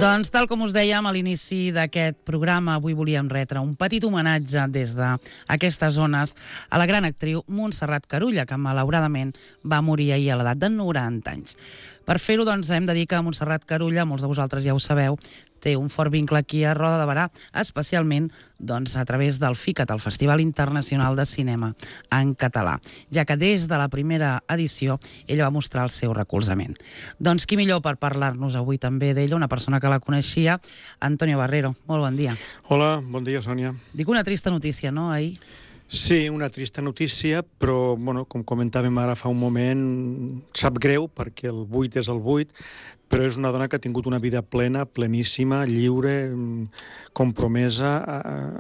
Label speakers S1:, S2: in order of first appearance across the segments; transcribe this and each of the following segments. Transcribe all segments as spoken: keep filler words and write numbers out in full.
S1: Doncs, tal com us dèiem a l'inici d'aquest programa, avui volíem retre un petit homenatge des d'aquestes zones a la gran actriu Montserrat Carulla, que malauradament va morir ahir a l'edat de noranta anys. Per fer-ho, doncs, hem de dir que Montserrat Carulla, molts de vosaltres ja ho sabeu, té un fort vincle aquí a Roda de Berà, especialment doncs, a través del FICAT, el Festival Internacional de Cinema en Català, ja que des de la primera edició ella va mostrar el seu recolzament. Doncs qui millor per parlar-nos avui també d'ella, una persona que la coneixia, Antonio Barrero. Molt bon dia.
S2: Hola, bon dia, Sònia.
S1: Dic una trista notícia, no, ahir?
S2: Sí, una trista notícia, però, bueno, com comentàvem ara fa un moment, sap greu perquè el buit és el buit, però és una dona que ha tingut una vida plena, pleníssima, lliure, compromesa,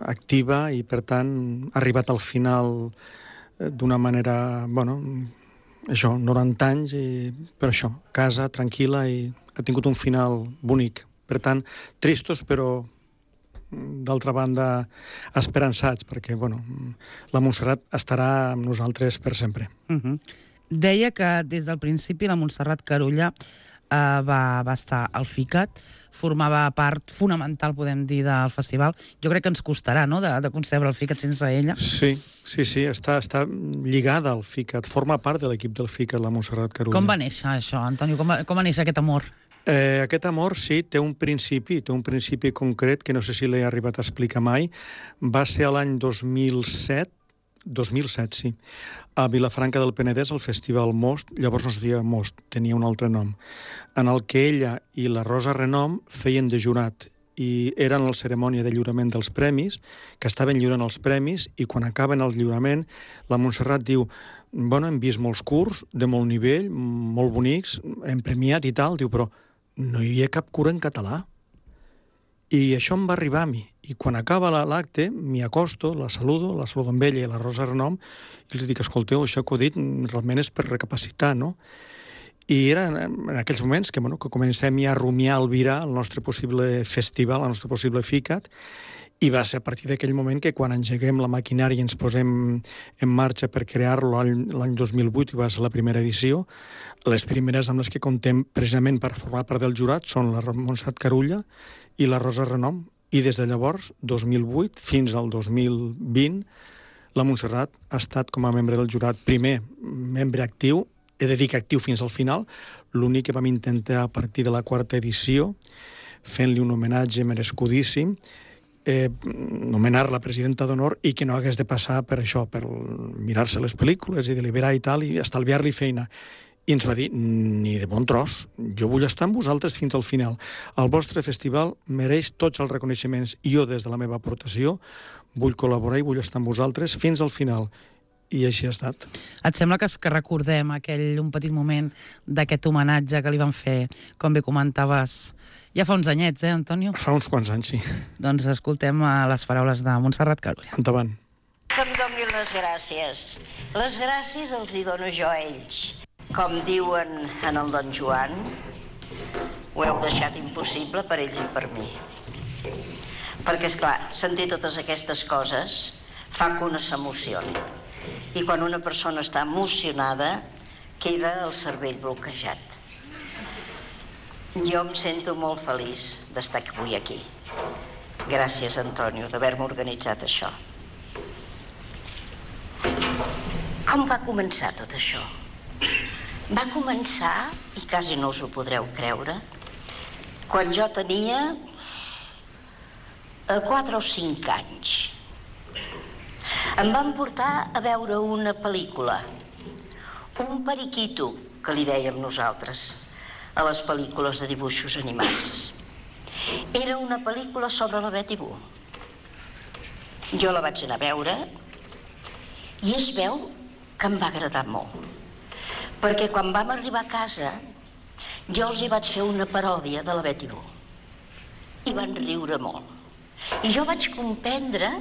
S2: activa i, per tant, ha arribat al final d'una manera, bueno, això, noranta anys, i, per això, a casa, tranquil·la, i ha tingut un final bonic. Per tant, tristos, però d'altra banda, esperançats, perquè, bueno, la Montserrat estarà amb nosaltres per sempre.
S1: Uh-huh. Deia que des del principi la Montserrat Carulla eh, va, va estar al FICAT, formava part fonamental, podem dir, del festival. Jo crec que ens costarà, no?, de, de concebre el FICAT sense ella.
S2: Sí, sí, sí, està, està lligada al FICAT, forma part de l'equip del FICAT, la Montserrat Carulla.
S1: Com va néixer això, Antonio? Com va, com va néixer aquest amor?
S2: Eh, aquest amor, sí, té un principi, té un principi concret que no sé si l'he arribat a explicar mai. Va ser l'any dos mil set, dos mil set, sí, a Vilafranca del Penedès, al Festival Most, llavors no es deia Most, tenia un altre nom, en el que ella i la Rosa Renom feien de jurat, i eren a la cerimònia de lliurament dels premis, que estaven lliurant els premis, i quan acaben el lliurament, la Montserrat diu, bueno, hem vist molts curts, de molt nivell, molt bonics, hem premiat i tal, diu, però no hi havia cap cura en català. I això em va arribar a mi. I quan acaba l'acte, m'hi acosto, la saludo, la saludo amb ella i la Rosa Renom, i els dic, escolteu, això que heu dit realment és per recapacitar, no? I era en aquells moments que, bueno, que comencem ja a rumiar, a albirar el nostre possible festival, el nostre possible FICAT, i va ser a partir d'aquell moment que quan engeguem la maquinària i ens posem en marxa per crear-lo l'any dos mil vuit, i va ser la primera edició, les primeres amb les que contem precisament per formar part del jurat són la Montserrat Carulla i la Rosa Renom. I des de llavors, dos mil vuit, fins al dos mil vint, la Montserrat ha estat com a membre del jurat, primer membre actiu, he de dir que actiu fins al final, l'únic que vam intentar a partir de la quarta edició, fent-li un homenatge merescudíssim, Eh, nomenar-la presidenta d'honor i que no hagués de passar per això, per mirar-se les pel·lícules i deliberar i tal, i estalviar-li feina. I ens va dir, ni de bon tros, jo vull estar amb vosaltres fins al final. El vostre festival mereix tots els reconeixements. I jo, des de la meva aportació, vull col·laborar i vull estar amb vosaltres fins al final. I així ha estat.
S1: Et sembla que, que recordem aquell un petit moment d'aquest homenatge que li van fer, com bé comentaves, ja fa uns anyets, eh, Antonio?
S2: Fa uns quants anys, sí.
S1: Doncs escoltem les paraules de Montserrat Carulla.
S2: Endavant.
S3: Que em donin les gràcies. Les gràcies els hi dono jo a ells. Com diuen en el Don Joan, ho heu deixat impossible per ells i per mi. Perquè, esclar, sentir totes aquestes coses fa que una s'emocioni. I quan una persona està emocionada, queda el cervell bloquejat. Jo em sento molt feliç d'estar avui aquí. Gràcies, Antonio, d'haver-me organitzat això. Com va començar tot això? Va començar, i quasi no us ho podreu creure, quan jo tenia quatre o cinc anys. Em van portar a veure una pel·lícula, un periquito, que li dèiem nosaltres, a les pel·lícules de dibuixos animats. Era una pel·lícula sobre la Betty Boo. Jo la vaig anar a veure i es veu que em va agradar molt. Perquè quan vam arribar a casa, jo els hi vaig fer una paròdia de la Betty Boo. I van riure molt. I jo vaig comprendre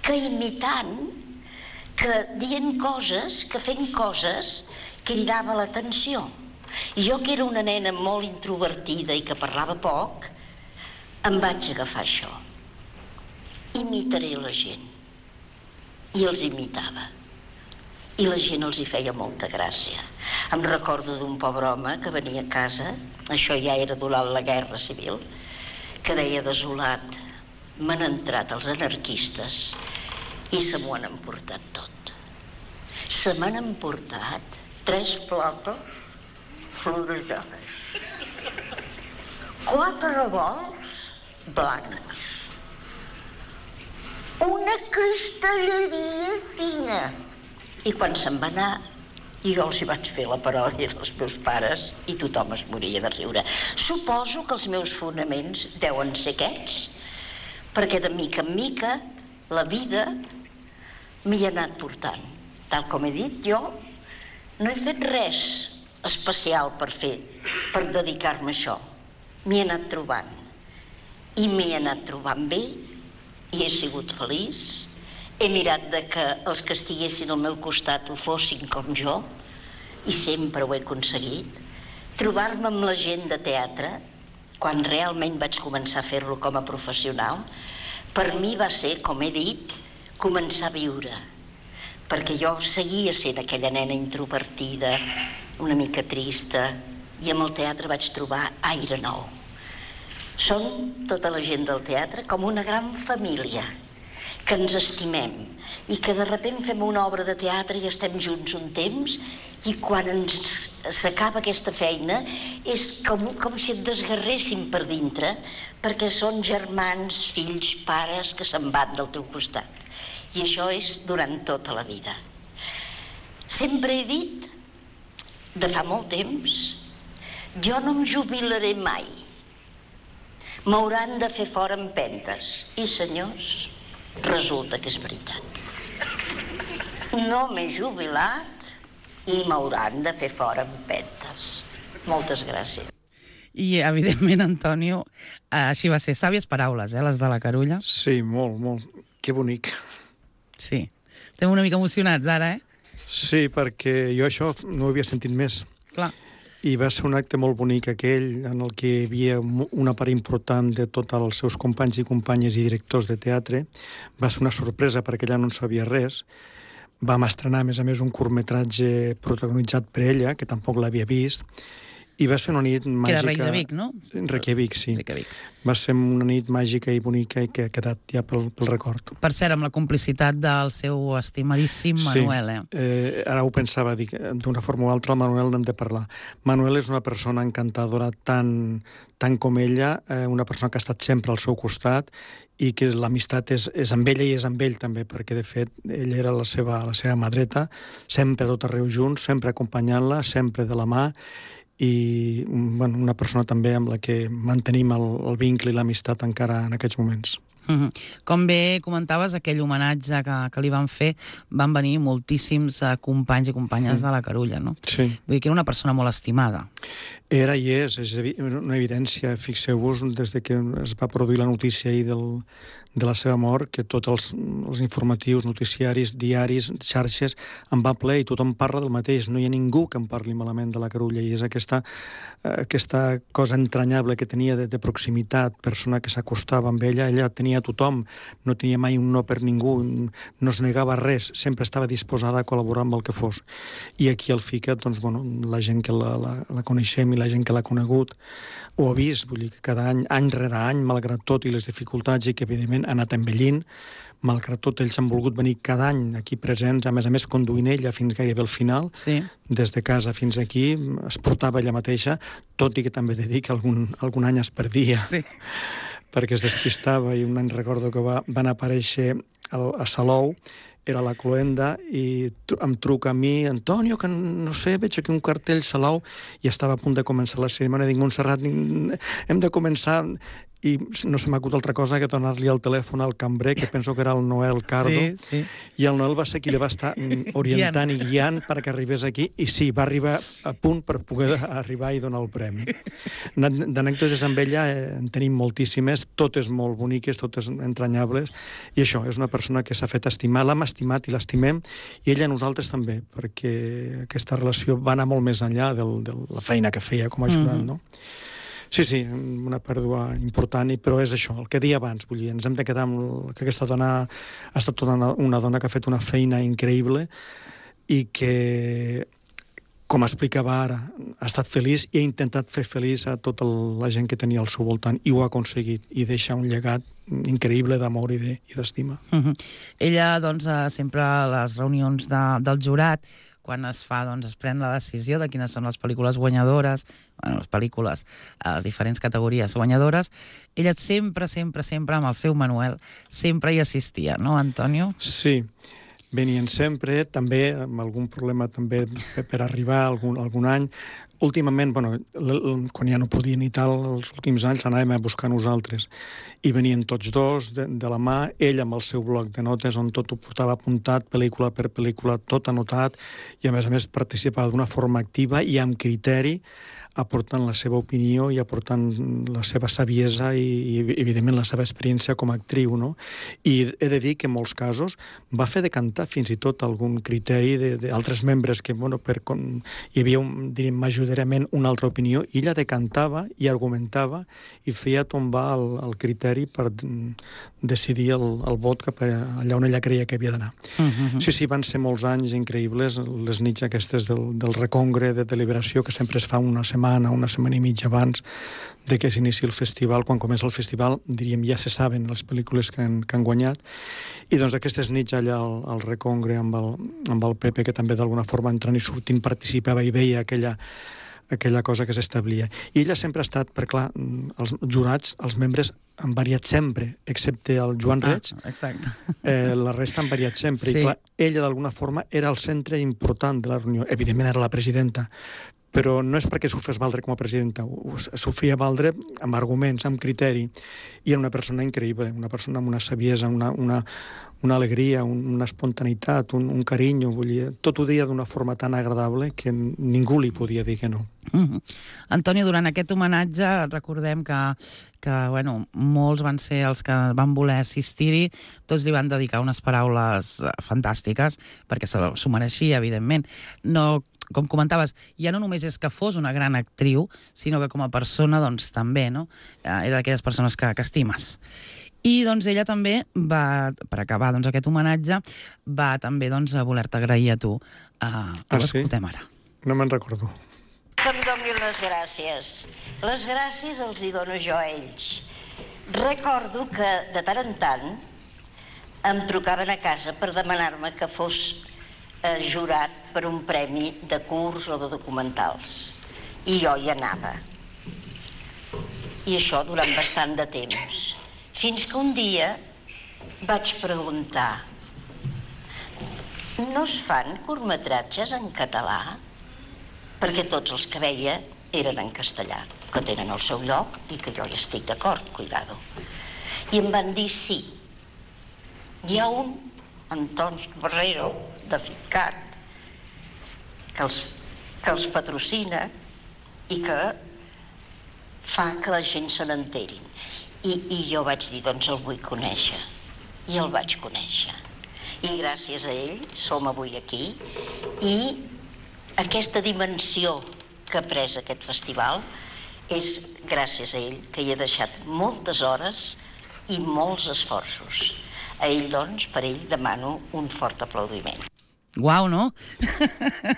S3: que imitant, que dient coses, que fent coses, cridava l'atenció. I jo, que era una nena molt introvertida i que parlava poc, em vaig agafar això. Imitaré la gent. I els imitava. I la gent els hi feia molta gràcia. Em recordo d'un pobre home que venia a casa, això ja era durant la Guerra Civil, que deia desolat, m'han entrat els anarquistes i se m'ho han emportat tot. Se m'han emportat tres plaques florejades, quatre revolts blancs, una cristalleria fina. I quan se'n va anar, jo els hi vaig fer la paròdia dels meus pares i tothom es moria de riure. Suposo que els meus fonaments deuen ser aquests, perquè de mica en mica la vida m'hi ha anat portant. Tal com he dit, jo no he fet res especial per fer, per dedicar-me a això. M'hi he anat trobant. I m'hi he anat trobant bé i he sigut feliç. He mirat de que els que estiguessin al meu costat ho fossin com jo i sempre ho he aconseguit. Trobar-me amb la gent de teatre, quan realment vaig començar a fer-lo com a professional, per mi va ser, com he dit, començar a viure. Perquè jo seguia sent aquella nena introvertida, una mica trista, i amb el teatre vaig trobar aire nou. Són tota la gent del teatre com una gran família, que ens estimem i que de sobte fem una obra de teatre i estem junts un temps i quan ens s'acaba aquesta feina és com, com si et desgarréssim per dintre perquè són germans, fills, pares que se'n van del teu costat. I això és durant tota la vida. Sempre he dit, de fa molt temps, jo no em jubilaré mai. M'hauran de fer fora empentes. I senyors, resulta que és veritat. No m'he jubilat i m'hauran de fer fora empentes. Moltes gràcies.
S1: I, evidentment, Antonio, així va ser. Sàvies paraules, eh, les de la Carulla.
S2: Sí, molt, molt. Que bonic.
S1: Sí. Estem una mica emocionats ara, eh?
S2: Sí, perquè jo això no ho havia sentit més.
S1: Clar.
S2: I va ser un acte molt bonic aquell en el que hi havia una part important de tots els seus companys i companyes i directors de teatre. Va ser una sorpresa perquè ella no en sabia res. Vam estrenar, a més a més, un curtmetratge protagonitzat per ella, que tampoc l'havia vist, i va ser una nit màgica...
S1: Que era Reykjavik, no?
S2: Reykjavik, sí.
S1: Reykjavik.
S2: Va ser una nit màgica i bonica i que ha quedat ja pel, pel record.
S1: Per cert, amb la complicitat del seu estimadíssim Manuel, eh?
S2: Sí, eh, ara ho pensava, dic, d'una forma o altra, el Manuel n'hem de parlar. Manuel és una persona encantadora tant, tant com ella, eh, una persona que ha estat sempre al seu costat i que l'amistat és, és amb ella i és amb ell també, perquè de fet ell era la seva, la seva mà dreta, sempre a tot arreu junts, sempre acompanyant-la, sempre de la mà, i bueno, una persona també amb la que mantenim el, el vincle i l'amistat encara en aquests moments.
S1: Mm-hmm. Com bé comentaves, aquell homenatge que, que li van fer, van venir moltíssims uh, companys i companyes mm. de la Carulla, no?
S2: Sí.
S1: Vull dir que era una persona molt estimada.
S2: Era i és, és una evidència. Fixeu-vos, des de que es va produir la notícia ahir del, de la seva mort, que tots els, els informatius, noticiaris, diaris, xarxes, en va ple i tothom parla del mateix. No hi ha ningú que en parli malament de la Carulla i és aquesta, aquesta cosa entranyable que tenia de, de proximitat, persona que s'acostava amb ella, ella tenia a tothom, no tenia mai un no per ningú, no es negava res, sempre estava disposada a col·laborar amb el que fos. I aquí al FICA, doncs, bueno, la gent que la, la, la coneixem i la gent que l'ha conegut ho ha vist, vull dir que cada any, any rere any, malgrat tot i les dificultats i que evidentment ha anat envellint, malgrat tot ells han volgut venir cada any aquí presents, a més a més conduint ella fins gairebé al final,
S1: sí. Des
S2: de casa fins aquí, es portava ella mateixa, tot i que també he de dir que algun, algun any es perdia.
S1: Sí.
S2: Perquè es despistava i un any recordo que va, van aparèixer al, a Salou, era la Cloenda, i em truca a mi, Antonio, que no sé, veig aquí un cartell Salou, i estava a punt de començar la cerimònia, dic, Montserrat, hem de començar... I no se m'acut altra cosa que donar-li el telèfon al cambrer, que penso que era el Noel Cardo,
S1: sí, sí.
S2: I el Noel va ser qui li va estar orientant i guiant perquè arribés aquí, i sí, va arribar a punt per poder arribar i donar el premi. D'anècdotes amb ella en tenim moltíssimes, totes molt boniques, totes entranyables, i això, és una persona que s'ha fet estimar, l'hem estimat i l'estimem, i ella a nosaltres també, perquè aquesta relació va anar molt més enllà de la feina que feia com a ajudant, mm-hmm. no? Sí, sí, una pèrdua important, però és això, el que deia abans, vull dir, ens hem de quedar amb que aquesta dona ha estat una, una dona que ha fet una feina increïble i que, com explicava ara, ha estat feliç i ha intentat fer feliç a tota la gent que tenia al seu voltant, i ho ha aconseguit, i deixa un llegat increïble d'amor i d'estima.
S1: Uh -huh. Ella, doncs, sempre a les reunions de, del jurat, quan es fa, doncs, es pren la decisió de quines són les pel·lícules guanyadores, bueno, les pel·lícules, les diferents categories guanyadores, ella sempre, sempre, sempre, amb el seu Manuel, sempre hi assistia, no, Antonio?
S2: Sí, venien sempre, també amb algun problema també per arribar algun, algun any. Últimament, bueno, quan ja no podien i tal, els últims anys anàvem a buscar nosaltres. I venien tots dos de, de la mà, ell amb el seu bloc de notes on tot ho portava apuntat, pel·lícula per pel·lícula, tot anotat, i a més a més participava d'una forma activa i amb criteri, aportant la seva opinió i aportant la seva saviesa i, i evidentment, la seva experiència com a actriu, no? I he de dir que en molts casos va fer decantar fins i tot algun criteri d'altres membres que, bueno, per, com, hi havia, un, diríem, majoritàriament una altra opinió, i ella decantava i argumentava i feia tombar el, el criteri per decidir el, el vot cap allà on ella creia que havia d'anar. Uh -huh. Sí, sí, van ser molts anys increïbles, les nits aquestes del, del recongre de deliberació, que sempre es fa una setmana una setmana i mitja abans de que s'inici el festival. Quan comença el festival, diríem, ja se saben les pel·lícules que han, que han guanyat. I doncs aquestes nits allà al, al recongre amb el, amb el Pepe, que també d'alguna forma entrant i sortint participava i veia aquella, aquella cosa que s'establia. I ella sempre ha estat, perquè clar, els jurats, els membres han variat sempre, excepte el Joan Reig.
S1: Ah, exacte.
S2: Eh, la resta han variat sempre. Sí. I clar, ella d'alguna forma era el centre important de la reunió. Evidentment era la presidenta, però no és perquè s'ho fes valdre com a presidenta, s'ho feia valdre amb arguments, amb criteri, i era una persona increïble, una persona amb una saviesa, una, una, una alegria, una espontaneïtat, un, un carinyo, vull dir, tot ho deia d'una forma tan agradable que ningú li podia dir que no.
S1: Mm-hmm. Antonio, durant aquest homenatge recordem que, que bueno, molts van ser els que van voler assistir-hi, tots li van dedicar unes paraules fantàstiques, perquè s'ho mereixia, evidentment. No, com comentaves, ja no només és que fos una gran actriu, sinó que com a persona, doncs, també, no? Era d'aquelles persones que, que estimes. I, doncs, ella també va, per acabar, doncs, aquest homenatge, va també, doncs, a voler-te agrair a tu. Uh,
S2: ah,
S1: sí?
S2: Escoltem ara. No me'n recordo.
S3: Que em donin les gràcies. Les gràcies els hi dono jo a ells. Recordo que, de tant en tant, em trucaven a casa per demanar-me que fos eh, jurat per un premi de curs o de documentals. I jo hi anava. I això durant bastant de temps. Fins que un dia vaig preguntar: no es fan curtmetratges en català? Perquè tots els que veia eren en castellà, que tenen el seu lloc i que jo hi estic d'acord, cuidado. I em van dir sí. Hi ha un, Antoni Barrero, de Ficat, que els, que els patrocina i que fa que la gent se n'enterin. I, I jo vaig dir, doncs el vull conèixer. I el vaig conèixer. I gràcies a ell som avui aquí. I aquesta dimensió que ha pres aquest festival és gràcies a ell, que hi he deixat moltes hores i molts esforços. A ell, doncs, per ell demano un fort aplaudiment.
S1: Uau, no?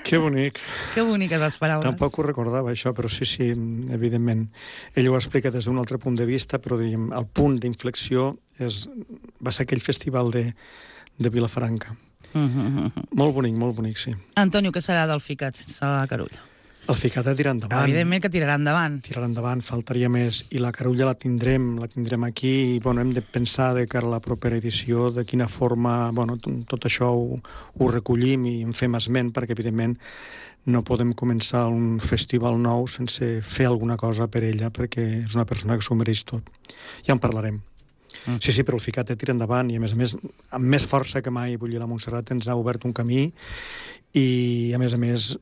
S2: Que bonic.
S1: Que boniques les paraules.
S2: Tampoc ho recordava, això, però sí, sí, evidentment. Ell ho explica des d'un altre punt de vista, però diguem, el punt d'inflexió és, va ser aquell festival de, de Vilafranca. Mm-hmm. Molt bonic, molt bonic, sí.
S1: Antonio, què serà del Ficat sense la Carulla?
S2: El Ficat ha de tirar endavant.
S1: Evidentment que tirarà endavant.
S2: Tirarà endavant, faltaria més. I la Carulla la tindrem, la tindrem aquí, i bueno, hem de pensar de cara a la propera edició de quina forma, bueno, tot això ho, ho recollim i en fem esment, perquè evidentment no podem començar un festival nou sense fer alguna cosa per ella, perquè és una persona que s'ho mereix tot. Ja en parlarem. Mm. Sí, sí, però el Ficat ha de tirar endavant i, a més a més, amb més força que mai, vull dir, la Montserrat ens ha obert un camí i, a més a més,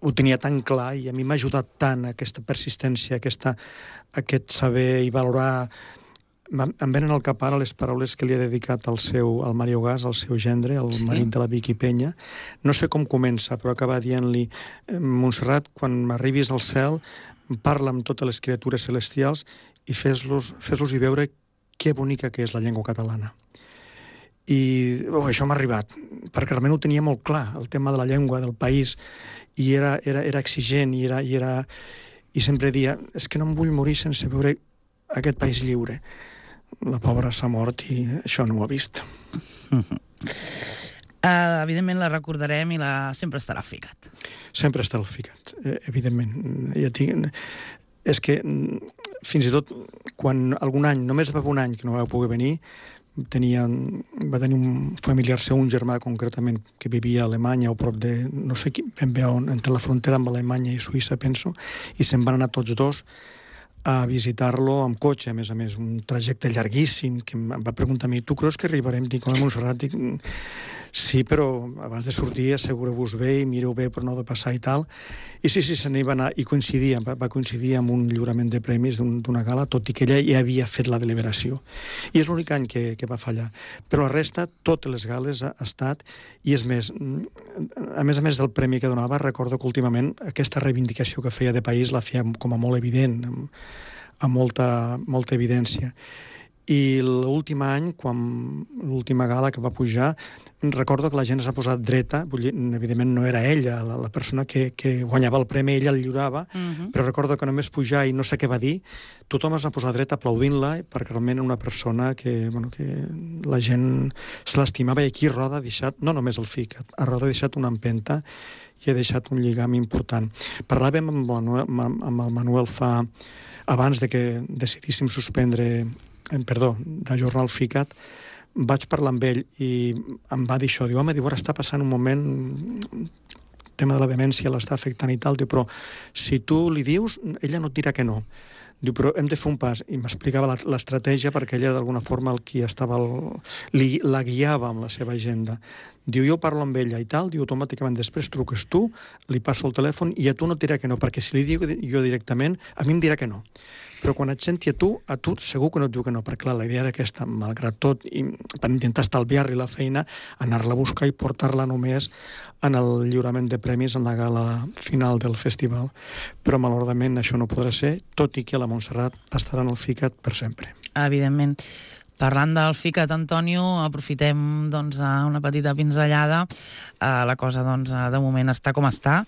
S2: ho tenia tan clar i a mi m'ha ajudat tant aquesta persistència, aquesta, aquest saber i valorar. Em venen al cap ara les paraules que li ha dedicat al seu, al Mario Gas, al seu gendre, el sí. marit de la Vicky Peña. No sé com comença, però acaba dient-li: Montserrat, quan m'arribis al cel, parla amb totes les criatures celestials i fes-los fes-los-hi veure que bonica que és la llengua catalana. I oh, això m'ha arribat, perquè realment ho tenia molt clar, el tema de la llengua, del país, i era, era, era exigent, i, era, i, era, i sempre dia, és que no em vull morir sense veure aquest país lliure. La pobra s'ha mort i això no ho ha vist.
S1: Uh, evidentment la recordarem i la... sempre estarà al FICAT.
S2: Sempre estarà al FICAT, eh, evidentment. Ja tinc... És que fins i tot quan algun any, només va un any que no va poder venir, tenia, va tenir un familiar seu, un germà concretament, que vivia a Alemanya o prop de, no sé ben bé on, entre la frontera amb Alemanya i Suïssa, penso, i se'n van anar tots dos a visitar-lo amb cotxe, a més a més, un trajecte llarguíssim, que em va preguntar a mi, tu creus que arribarem? Dic, home, Montserrat, dic, sí, però abans de sortir assegureu-vos bé i mireu bé per no de passar i tal. I sí, sí, se n'hi va anar, i coincidia, va, va coincidir amb un lliurament de premis d'una un, gala, tot i que ella ja havia fet la deliberació. I és l'únic any que, que va fallar. Però la resta, totes les gales ha, ha estat, i és més, a més a més del premi que donava, recordo que últimament aquesta reivindicació que feia de país la feia com a molt evident, amb, amb molta, molta evidència. I l'últim any, quan l'última gala que va pujar, recordo que la gent s'ha posat dreta, vull dir, evidentment no era ella, la, la persona que, que guanyava el premi, ella el lliurava, uh-huh. però recordo que només pujar i no sé què va dir, tothom es va posar dreta aplaudint-la, perquè realment era una persona que, bueno, que la gent se l'estimava, i aquí Roda ha deixat, no només el FICAT, a Roda ha deixat una empenta i ha deixat un lligam important. Parlàvem amb, Manuel, amb el Manuel fa, abans de que decidíssim suspendre perdó, d'ajornar el FICAT, vaig parlar amb ell i em va dir això, diu, home, diu, ara està passant un moment, el tema de la demència l'està afectant i tal, diu, però si tu li dius, ella no et dirà que no. Diu, però hem de fer un pas. I m'explicava l'estratègia perquè ella d'alguna forma el qui estava el, li, la guiava amb la seva agenda. Diu, jo parlo amb ella i tal, diu, automàticament després truques tu, li passo el telèfon i a tu no et dirà que no, perquè si li dic jo directament, a mi em dirà que no. Però quan et senti a tu, a tu segur que no et diu que no, perquè clar, la idea era aquesta, malgrat tot, i per intentar estalviar-li la feina, anar-la a buscar i portar-la només en el lliurament de premis en la gala final del festival. Però malauradament això no podrà ser, tot i que la Montserrat estarà en el FICAT per sempre.
S1: Evidentment. Parlant del FICAT, Antonio, aprofitem doncs, una petita pinzellada. La cosa doncs, de moment està com està,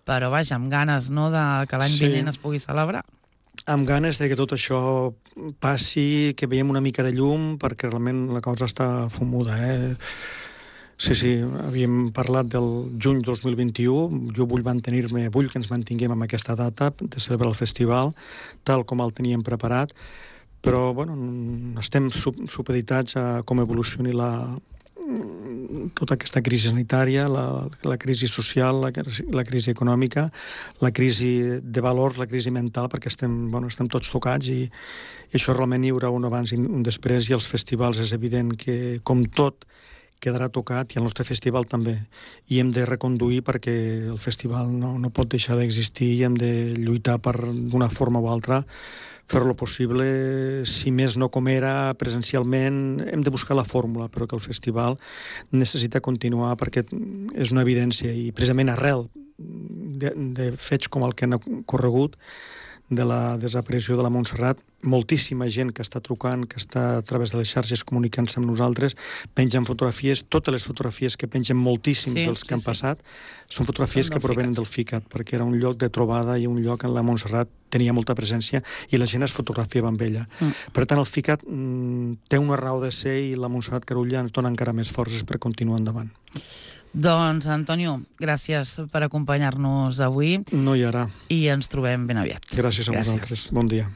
S1: però vaja, amb ganes no, de que l'any
S2: sí.
S1: vinent es pugui celebrar.
S2: Amb ganes de que tot això passi, que veiem una mica de llum, perquè realment la cosa està fumuda, eh? Sí, sí, havíem parlat del juny dos mil vint-i-u, jo vull mantenir-me, vull que ens mantinguem amb aquesta data de celebrar el festival, tal com el teníem preparat, però, bueno, estem supeditats a com evolucioni la... tota aquesta crisi sanitària, la, la crisi social, la, la crisi econòmica, la crisi de valors, la crisi mental, perquè estem, bueno, estem tots tocats i, i això realment hi haurà un abans i un després, i els festivals és evident que, com tot, quedarà tocat, i el nostre festival també. I hem de reconduir perquè el festival no, no pot deixar d'existir i hem de lluitar per, d'una forma o altra, fer-lo possible, si més no com era presencialment, hem de buscar la fórmula, però que el festival necessita continuar perquè és una evidència, i precisament arrel de, de fets com el que han corregut, de la desaparició de la Montserrat, moltíssima gent que està trucant, que està a través de les xarxes comunicant-se amb nosaltres, pengen fotografies, totes les fotografies que pengen moltíssims sí, dels que sí, han sí. passat, són fotografies són que provenen del FICAT, perquè era un lloc de trobada i un lloc en la Montserrat tenia molta presència i la gent es fotografiava amb ella. Mm. Per tant, el FICAT mm, té una raó de ser i la Montserrat Carulla ens dona encara més forces per continuar endavant.
S1: Doncs, Antonio, gràcies per acompanyar-nos avui.
S2: No hi haurà.
S1: I ens trobem ben aviat.
S2: Gràcies a gràcies. vosaltres. Bon dia.